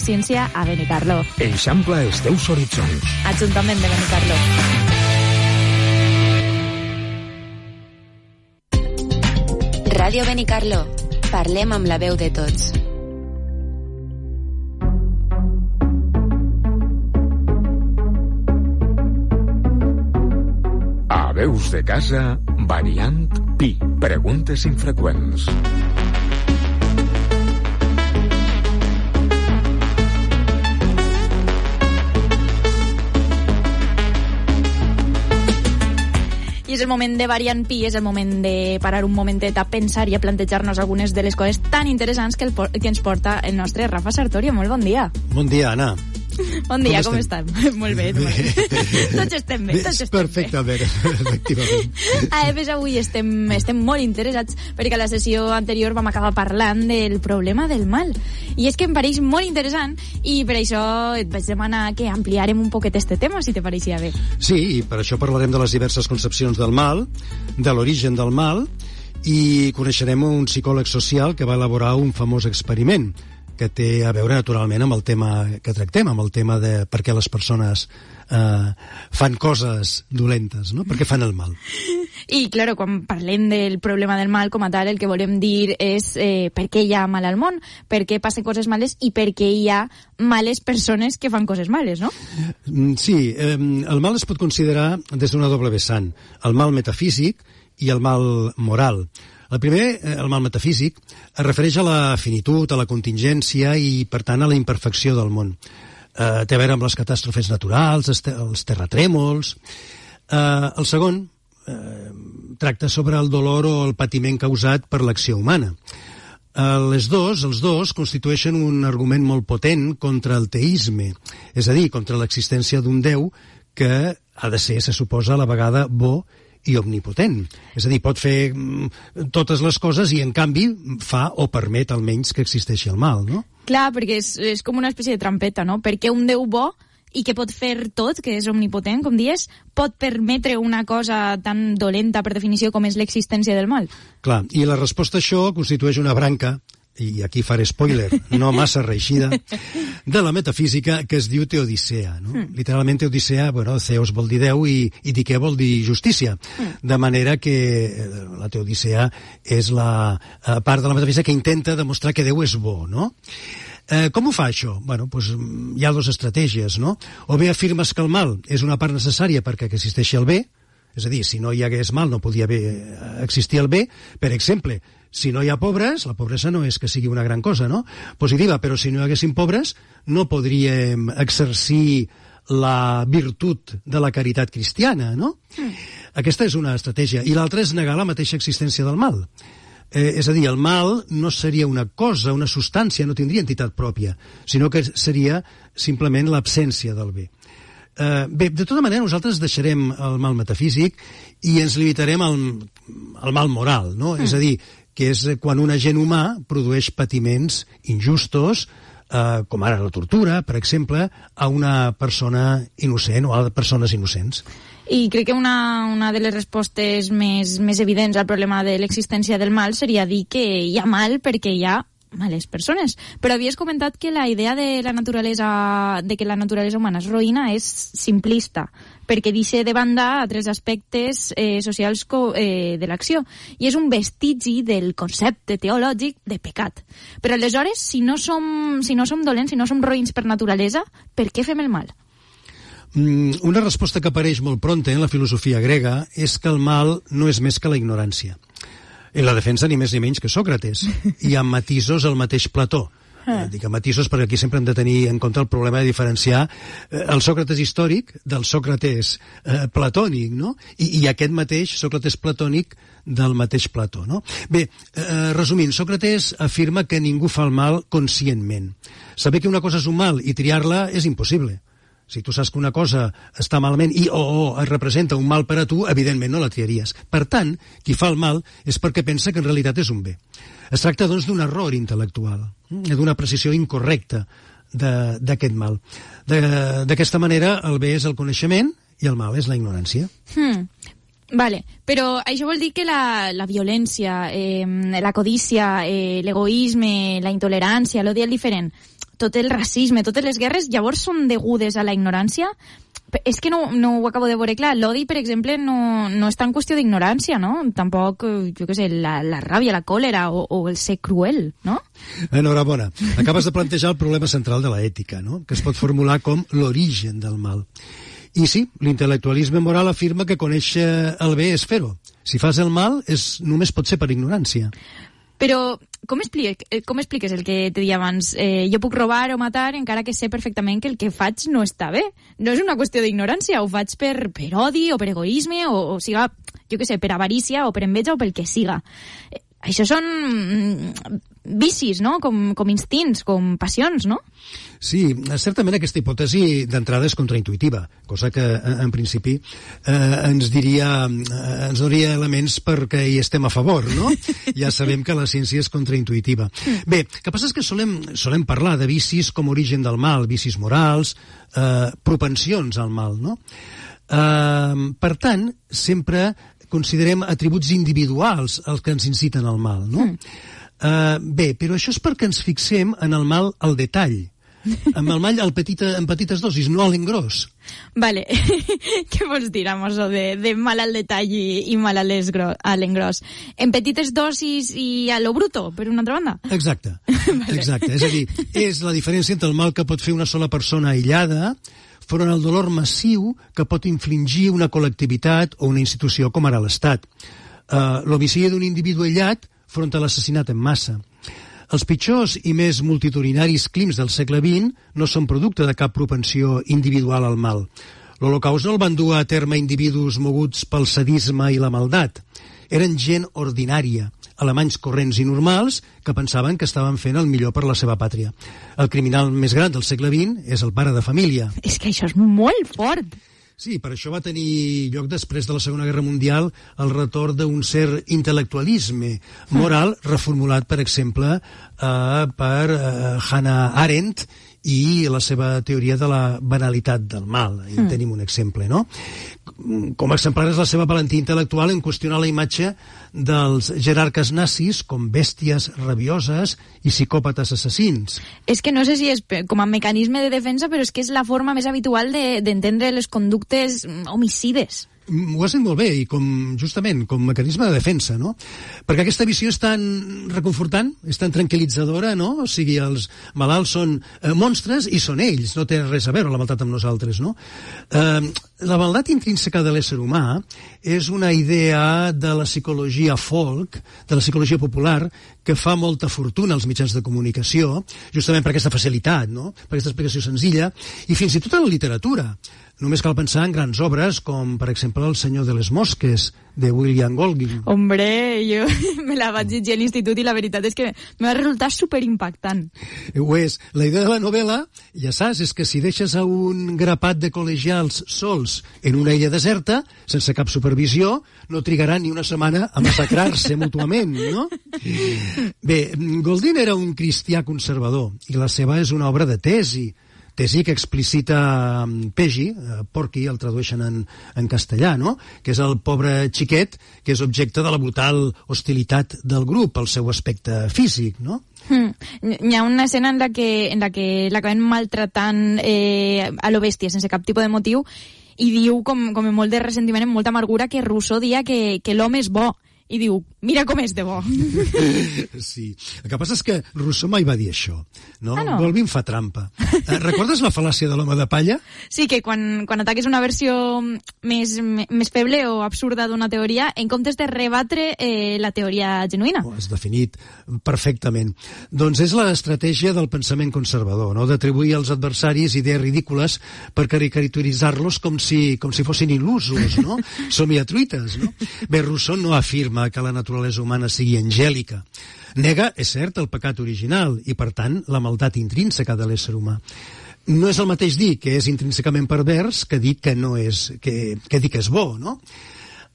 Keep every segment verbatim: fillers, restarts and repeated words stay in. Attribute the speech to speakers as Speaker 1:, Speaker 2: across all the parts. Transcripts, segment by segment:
Speaker 1: Ciència a Benicarló.
Speaker 2: Eixampla els teus horitzons.
Speaker 1: Ajuntament de Benicarló.
Speaker 3: Ràdio Benicarló. Parlem amb la veu de tots.
Speaker 2: A Veus de Casa, variant Pi. Preguntes infreqüents.
Speaker 1: I és el moment de variant Pi, és el moment de parar un momentet a pensar i a plantejar-nos algunes de les coses tan interessants que, el, que ens porta el nostre Rafa Sartorio. Molt bon dia.
Speaker 4: Bon dia, Anna.
Speaker 1: Bon dia, com, com estem? Molt bé, molt bé. Tots estem bé, tots estem
Speaker 4: perfectament, bé. Efectivament.
Speaker 1: A més, avui estem, estem molt interessats perquè a la sessió anterior vam acabar parlant del problema del mal. I és que em pareix molt interessant i per això et vaig demanar que ampliarem un poquet este tema, si te pareixia bé.
Speaker 4: Sí, i per això parlarem de les diverses concepcions del mal, de l'origen del mal, i coneixerem un psicòleg social que va elaborar un famós experiment que té a veure naturalment amb el tema que tractem, amb el tema de per què les persones eh, fan coses dolentes, no? Per què fan el mal.
Speaker 1: I, clar, quan parlem del problema del mal com a tal, el que volem dir és eh, per què hi ha mal al món, per què passen coses males i per què hi ha males persones que fan coses males, no?
Speaker 4: Sí, eh, el mal es pot considerar des d'una doble vessant, el mal metafísic i el mal moral. El primer, el mal metafísic, es refereix a la finitud, a la contingència i, per tant, a la imperfecció del món. Eh, té a veure amb les catàstrofes naturals, els terratrèmols. Eh, el segon eh, tracta sobre el dolor o el patiment causat per l'acció humana. Eh, les dos, els dos, constitueixen un argument molt potent contra el teisme, és a dir, contra l'existència d'un Déu que ha de ser, se suposa, a la vegada bo i omnipotent. És a dir, pot fer mm, totes les coses i, en canvi, fa o permet almenys que existeixi el mal, no?
Speaker 1: Clar, perquè és, és com una espècie de trampeta, no? Perquè un Déu bo i que pot fer tot, que és omnipotent, com dies, pot permetre una cosa tan dolenta, per definició, com és l'existència del mal.
Speaker 4: Clar, i la resposta a això constitueix una branca, i aquí faré spoiler, no massa reeixida, de la metafísica que es diu teodicea. No? Mm. Literalment teodicea, bueno, Zeus vol dir Déu i, i diquea vol dir justícia. Mm. De manera que la teodicea és la part de la metafísica que intenta demostrar que Déu és bo, no? Eh, com ho fa això? Bueno, doncs hi ha dues estratègies, no? O bé afirmes que el mal és una part necessària perquè existeixi el bé, és a dir, si no hi hagués mal no podia haver, existir el bé. Per exemple, si no hi ha pobres, la pobresa no és que sigui una gran cosa, no? Positiva, però si no hi haguessin pobres no podríem exercir la virtut de la caritat cristiana, no? Mm. Aquesta és una estratègia. I l'altra és negar la mateixa existència del mal. Eh, és a dir, el mal no seria una cosa, una substància, no tindria entitat pròpia, sinó que seria simplement l'absència del bé. Uh, bé, de tota manera, nosaltres deixarem el mal metafísic i ens limitarem al, al mal moral, no? Mm. És a dir, que és quan un agent humà produeix patiments injustos, uh, com ara la tortura, per exemple, a una persona innocent o a persones innocents.
Speaker 1: I crec que una, una de les respostes més, més evidents al problema de l'existència del mal seria dir que hi ha mal perquè hi ha males persones. Però havies comentat que la idea de la naturalesa, de que la naturalesa humana és roïna és simplista, perquè deixa de banda altres aspectes eh, socials co, eh, de l'acció. I és un vestigi del concepte teològic de pecat. Però aleshores, si no som, si no som dolents, si no som roïns per naturalesa, per què fem el mal?
Speaker 4: Una resposta que apareix molt pronta en la filosofia grega és que el mal no és més que la ignorància. I la defensa ni més ni menys que Sòcrates. I amb matisos el mateix Plató. Eh, dic amb matisos perquè aquí sempre hem de tenir en compte el problema de diferenciar eh, el Sòcrates històric del Sòcrates eh, platònic, no? I, i aquest mateix Sòcrates platònic del mateix Plató, no? Bé, eh, resumint, Sòcrates afirma que ningú fa el mal conscientment. Saber que una cosa és un mal i triar-la és impossible. Si tu saps que una cosa està malament i o, o es representa un mal per a tu, evidentment no la triaries. Per tant, qui fa el mal és perquè pensa que en realitat és un bé. Es tracta, doncs, d'un error intel·lectual, d'una precisió incorrecta d'aquest mal. D'aquesta manera, el bé és el coneixement i el mal és la ignorància.
Speaker 1: Hmm. Vale, però això vol dir que la, la violència, eh, la codícia, eh, l'egoisme, la intolerància, l'odi al diferent, tot el racisme, totes les guerres, llavors són degudes a la ignorància? És que no, no ho acabo de veure clar. L'odi, per exemple, no, no està en qüestió d'ignorància, no? Tampoc, jo què sé, la, la ràbia, la còlera o, o el ser cruel, no?
Speaker 4: Enhorabona. Acabes de plantejar el problema central de l'ètica, no? Que es pot formular com l'origen del mal. I sí, l'intel·lectualisme moral afirma que conèixer el bé és fer-ho. Si fas el mal, és, només pot ser per ignorància.
Speaker 1: Però com, explique, com expliques el que te deia abans? Eh, jo puc robar o matar encara que sé perfectament que el que faig no està bé. No és una qüestió d'ignorància, ho faig per, per odi o per egoisme o, o siga, jo què sé, per avarícia o per enveja o pel que siga. Eh, això són vicis, no? Com, com instints, com passions, no?
Speaker 4: Sí, certament aquesta hipòtesi d'entrada és contraintuitiva, cosa que en principi eh, ens diria eh, ens donaria elements perquè hi estem a favor, no? Ja sabem que la ciència és contraintuitiva. Bé, el que passa és que solem, solem parlar de vicis com origen del mal, vicis morals, eh, propensions al mal, no? Eh, per tant, sempre considerem atributs individuals els que ens inciten al mal, no? Mm. Uh, bé, però això és perquè ens fixem en el mal al detall, amb el mal al petita, en petites dosis, no a l'engròs.
Speaker 1: Vale, què vols dir amb això de, de mal al detall i, i mal a l'engròs? En petites dosis i a lo bruto, per una altra banda?
Speaker 4: Exacte, vale. Exacte. És a dir, és la diferència entre el mal que pot fer una sola persona aïllada front al dolor massiu que pot infligir una col·lectivitat o una institució com ara l'Estat. Uh, L'homicidi d'un individu aïllat front a l'assassinat en massa. Els pitjors i més multitudinaris crims del segle vint no són producte de cap propensió individual al mal. L'Holocaust no el van dur a terme individus moguts pel sadisme i la maldat. Eren gent ordinària, alemanys corrents i normals que pensaven que estaven fent el millor per la seva pàtria. El criminal més gran del segle vint és el pare de família.
Speaker 1: És que això és molt fort.
Speaker 4: Sí, per això va tenir lloc després de la Segona Guerra Mundial el retorn d'un cert intel·lectualisme moral reformulat, per exemple, eh, per eh, Hannah Arendt i la seva teoria de la banalitat del mal. I en tenim un exemple, no? Com a exemplar és la seva valentia intel·lectual en qüestionar la imatge dels jerarques nazis com bèsties rabioses i psicòpates assassins.
Speaker 1: És que no sé si és com a mecanisme de defensa, però és que és la forma més habitual de, d'entendre les conductes homicides.
Speaker 4: Ho has dit molt bé, i com, justament, com mecanisme de defensa, no? Perquè aquesta visió és tan reconfortant, és tan tranquil·litzadora, no? O sigui, els malalts són eh, monstres i són ells, no té res a veure la maldat amb nosaltres, no? Eh, la maldat intrínseca de l'ésser humà és una idea de la psicologia folk, de la psicologia popular, que fa molta fortuna als mitjans de comunicació, justament per aquesta facilitat, no? Per aquesta explicació senzilla, i fins i tot a la literatura. Només cal pensar en grans obres com, per exemple, El senyor de les mosques, de William Golding.
Speaker 1: Hombre, jo me la vaig llegir a l'institut i la veritat és que me va resultar superimpactant.
Speaker 4: Ho és. La idea de la novel·la, ja saps, és que si deixes a un grapat de col·legials sols en una illa deserta, sense cap supervisió, no trigaran ni una setmana a massacrar-se mútuament, no? Bé, Golding era un cristià conservador i la seva és una obra de tesi, tesi que explicita Peggy, Porky, el tradueixen en, en castellà, no? Que és el pobre xiquet que és objecte de la brutal hostilitat del grup, el seu aspecte físic, no?
Speaker 1: Hmm. Hi ha una escena en la que, en la que l'acaben maltratant eh, a lo bèstia, sense cap tipus de motiu, i diu, com, com amb molt de ressentiment, amb molta amargura, que Rousseau dia que, que l'home és bo. I diu, mira com és de bo.
Speaker 4: Sí. El que passa és que Rousseau mai va dir això, no?
Speaker 1: Ah, no?
Speaker 4: Golding fa trampa. Eh, recordes la fal·làcia de l'home de palla?
Speaker 1: Sí, que quan, quan ataques una versió més, més feble o absurda d'una teoria, en comptes de rebatre eh, la teoria genuïna.
Speaker 4: Ho has definit perfectament. Doncs és l'estratègia del pensament conservador, no? D'atribuir als adversaris idees ridícules per caricaturitzar-los com si, com si fossin il·lusos, no? Somiatruites, no? Bé, Rousseau no afirma que la naturalesa humana sigui angèlica. Nega, és cert, el pecat original i, per tant, la maldat intrínseca de l'ésser humà. No és el mateix dir que és intrínsecament pervers que dir que no és, que, que dir que és bo, no?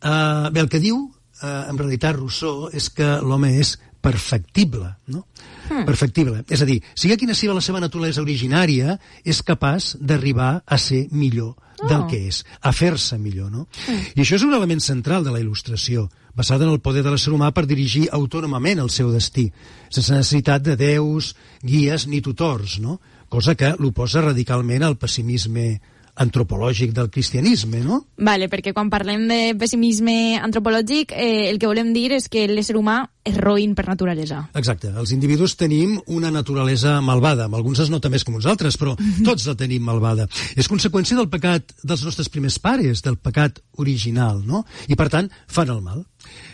Speaker 4: Uh, bé, el que diu, uh, en realitat, Rousseau, és que l'home és perfectible, no? Hmm. Perfectible. És a dir, sigui quina sigui la seva naturalesa originària, és capaç d'arribar a ser millor del que és, a fer-se millor, no? Mm. I això és un element central de la il·lustració, basada en el poder de l'ésser humà per dirigir autònomament el seu destí, sense necessitat de déus, guies ni tutors, no? Cosa que l'oposa radicalment al pessimisme antropològic del cristianisme, no?
Speaker 1: Vale, perquè quan parlem de pessimisme antropològic, eh, el que volem dir és que l'ésser humà és roïn per naturalesa.
Speaker 4: Exacte. Els individus tenim una naturalesa malvada. Amb alguns es nota més que amb uns altres, però tots la tenim malvada. És conseqüència del pecat dels nostres primers pares, del pecat original, no? I, per tant, fan el mal.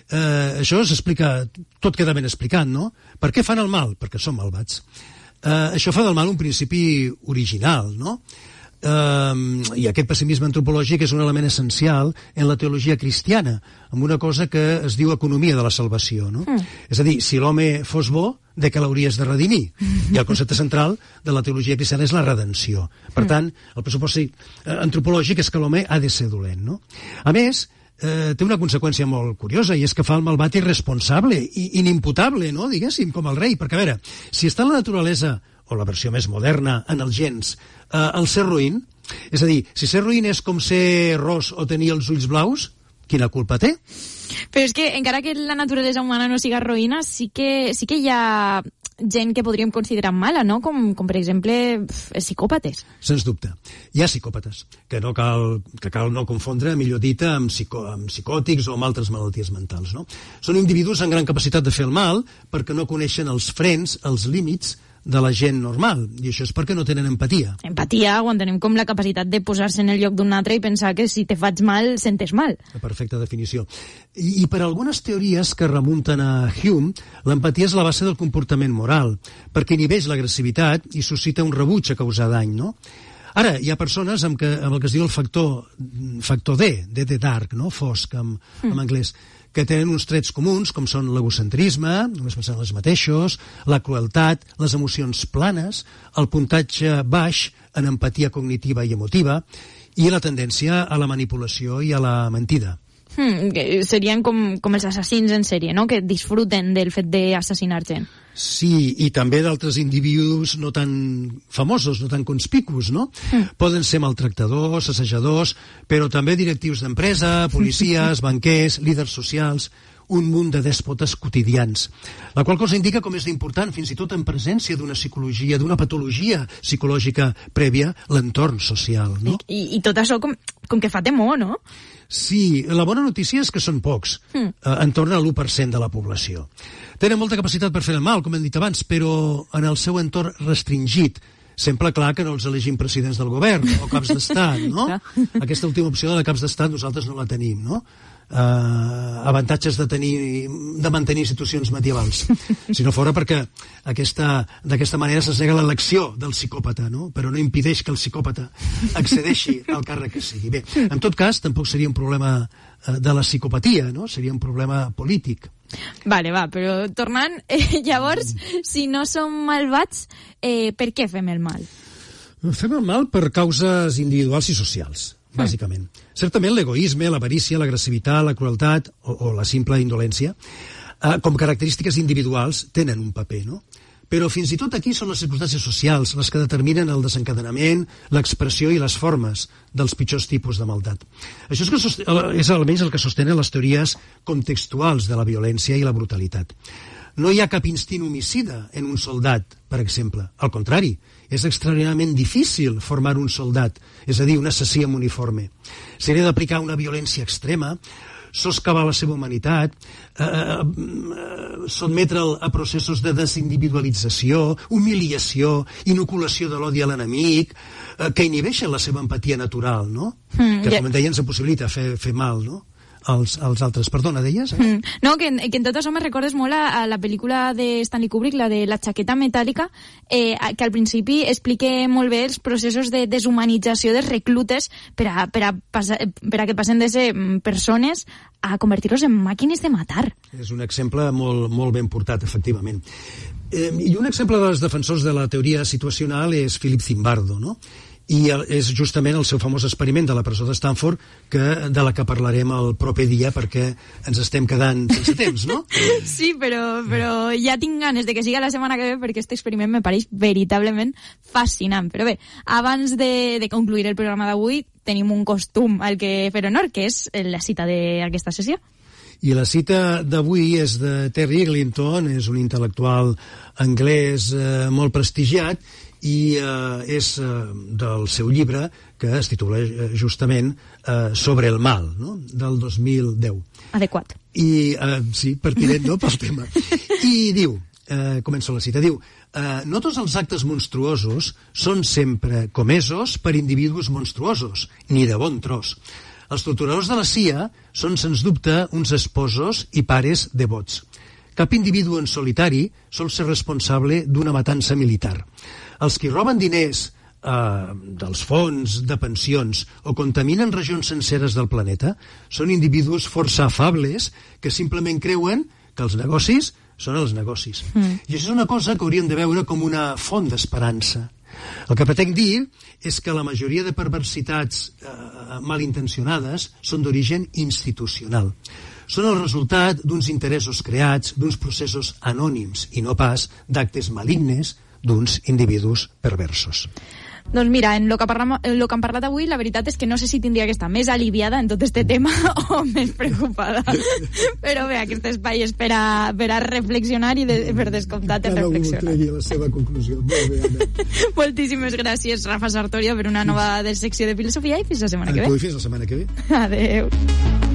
Speaker 4: Eh, això s'explica, tot queda ben explicat, no? Per què fan el mal? Perquè són malvats. Eh, això fa del mal un principi original, no? Um, i aquest pessimisme antropològic és un element essencial en la teologia cristiana, amb una cosa que es diu economia de la salvació, no? Mm. És a dir, si l'home fos bo, de què l'hauries de redimir? I el concepte central de la teologia cristiana és la redenció. Per tant, el pressupost antropològic és que l'home ha de ser dolent, no? A més, eh, té una conseqüència molt curiosa, i és que fa el malvat irresponsable i inimputable, no? Diguéssim, com el rei, perquè a veure, si està en la naturalesa, o la versió més moderna, en els gens, eh, el ser ruïn, és a dir, si ser ruïn és com ser ros o tenir els ulls blaus, quina culpa té?
Speaker 1: Però és que, encara que la naturalesa humana no siga roïna, sí que, sí que hi ha gent que podríem considerar mala, no? Com, com per exemple, psicòpates.
Speaker 4: Sens dubte. Hi ha psicòpates, que no cal, que cal no confondre, millor dita, amb, psico, amb psicòtics o amb altres malalties mentals, no? Són individus amb gran capacitat de fer el mal perquè no coneixen els frens, els límits de la gent normal, i això és perquè no tenen empatia.
Speaker 1: Empatia, ho entenem com la capacitat de posar-se en el lloc d'un altre i pensar que si te faig mal, sentes mal.
Speaker 4: La perfecta definició. I, i per algunes teories que remunten a Hume, l'empatia és la base del comportament moral, perquè inhibeix l'agressivitat i suscita un rebuig a causar dany, no? Ara, hi ha persones amb, que, amb el que es diu el factor, factor D, D de dark, no? Fosc, en, en mm. anglès, que tenen uns trets comuns, com són l'egocentrisme, només pensant en els mateixos, la crueltat, les emocions planes, el puntatge baix en empatia cognitiva i emotiva, i la tendència a la manipulació i a la mentida.
Speaker 1: Hmm, serien com, com els assassins en sèrie, no? Que disfruten del fet d'assassinar gent.
Speaker 4: Sí, i també d'altres individus no tan famosos, no tan conspicus, no? Mm. Poden ser maltractadors, assajadors, però també directius d'empresa, policies, banquers, líders socials, un munt de dèspotes quotidians. La qual cosa indica com és important, fins i tot en presència d'una psicologia, d'una patologia psicològica prèvia, l'entorn social, no?
Speaker 1: I, i tot això com, com que fa temor, no?
Speaker 4: Sí, la bona notícia és que són pocs, mm. eh, en torn a l'u per cent de la població. Tenen molta capacitat per fer el mal, com hem dit abans, però en el seu entorn restringit. Sempre clar que no els elegim presidents del govern o caps d'estat, no? Aquesta última opció de caps d'estat nosaltres no la tenim, no? Uh, avantatges de tenir de mantenir institucions medievals, si no fora perquè aquesta, d'aquesta manera se'ns nega l'elecció del psicòpata, no? Però no impedeix que el psicòpata accedeixi al càrrec que sigui. Bé, en tot cas tampoc seria un problema uh, de la psicopatia, no? Seria un problema polític.
Speaker 1: Vale, va, però tornant, eh, llavors, si no som malvats, eh, per què fem el mal?
Speaker 4: Fem el mal per causes individuals i socials, bàsicament. Mm. Certament l'egoisme, l'avarícia, l'agressivitat, la crueltat o, o la simple indolència, eh, com característiques individuals, tenen un paper, no? Però fins i tot aquí són les circumstàncies socials les que determinen el desencadenament, l'expressió i les formes dels pitjors tipus de maldat. Això és, que sost... és almenys el que sostenen les teories contextuals de la violència i la brutalitat. No hi ha cap instint homicida en un soldat, per exemple. Al contrari, és extraordinàriament difícil formar un soldat, és a dir, un assassí amb uniforme. S'hauria d'aplicar una violència extrema, soscavar la seva humanitat, eh, eh, sotmetre'l a processos de desindividualització, humiliació, inoculació de l'odi a l'enemic, eh, que inhibeixen la seva empatia natural, no? Mm, que, com ja... deien, se possibilita fer, fer mal, no? Als, als altres. Perdona, deies? Eh?
Speaker 1: Mm. No, que, que en tot això me recordes molt a, a la pel·lícula de Stanley Kubrick, la de la xaqueta metàl·lica, eh, que al principi explica molt bé els processos de deshumanització dels reclutes per a, per a, passar, per a que passen de ser persones a convertir-los en màquines de matar.
Speaker 4: És un exemple molt, molt ben portat, efectivament. Eh, I un exemple dels defensors de la teoria situacional és Philip Zimbardo, no? I és justament el seu famós experiment de la presó de Stanford, que, de la que parlarem el proper dia perquè ens estem quedant sense temps, no?
Speaker 1: Sí, però, però ja tinc ganes de que siga la setmana que ve perquè aquest experiment me pareix veritablement fascinant. Però bé, abans de, de concluir el programa d'avui tenim un costum al que fer honor, que és la cita d'aquesta sessió.
Speaker 4: I la cita d'avui és de Terry Eglinton, és un intel·lectual anglès eh, molt prestigiat, i eh, és eh, del seu llibre, que es titula eh, justament eh, Sobre el mal, no? Del dos mil deu.
Speaker 1: Adequat.
Speaker 4: I, eh, sí, pertinent, no?, pel tema. I diu, eh, començo la cita, diu, eh, no tots els actes monstruosos són sempre comesos per individus monstruosos, ni de bon tros. Els torturadors de la C I A són, sens dubte, uns esposos i pares devots. Cap individu en solitari sol ser responsable d'una matança militar. Els qui roben diners eh, dels fons de pensions o contaminen regions senceres del planeta són individus força afables que simplement creuen que els negocis són els negocis. Mm. I això és una cosa que hauríem de veure com una font d'esperança. El que pretenc dir és que la majoria de perversitats eh, malintencionades són d'origen institucional. Són el resultat d'uns interessos creats, d'uns processos anònims i no pas d'actes malignes d'uns individus perversos.
Speaker 1: Doncs mira, en lo que, parlam, en lo que hem parlat avui, la veritat és que no sé si tindria que estar més aliviada en tot este tema o més preocupada. Però bé, aquest espai és per a, per a reflexionar i de, per descomptat de reflexionar.
Speaker 4: Cada un tregui la seva conclusió. Molt bé, Anna.
Speaker 1: Moltíssimes gràcies, Rafa Sartorio, per una nova secció de filosofia i fins la setmana que ve.
Speaker 4: A tu i fins la setmana que ve.
Speaker 1: Adeu.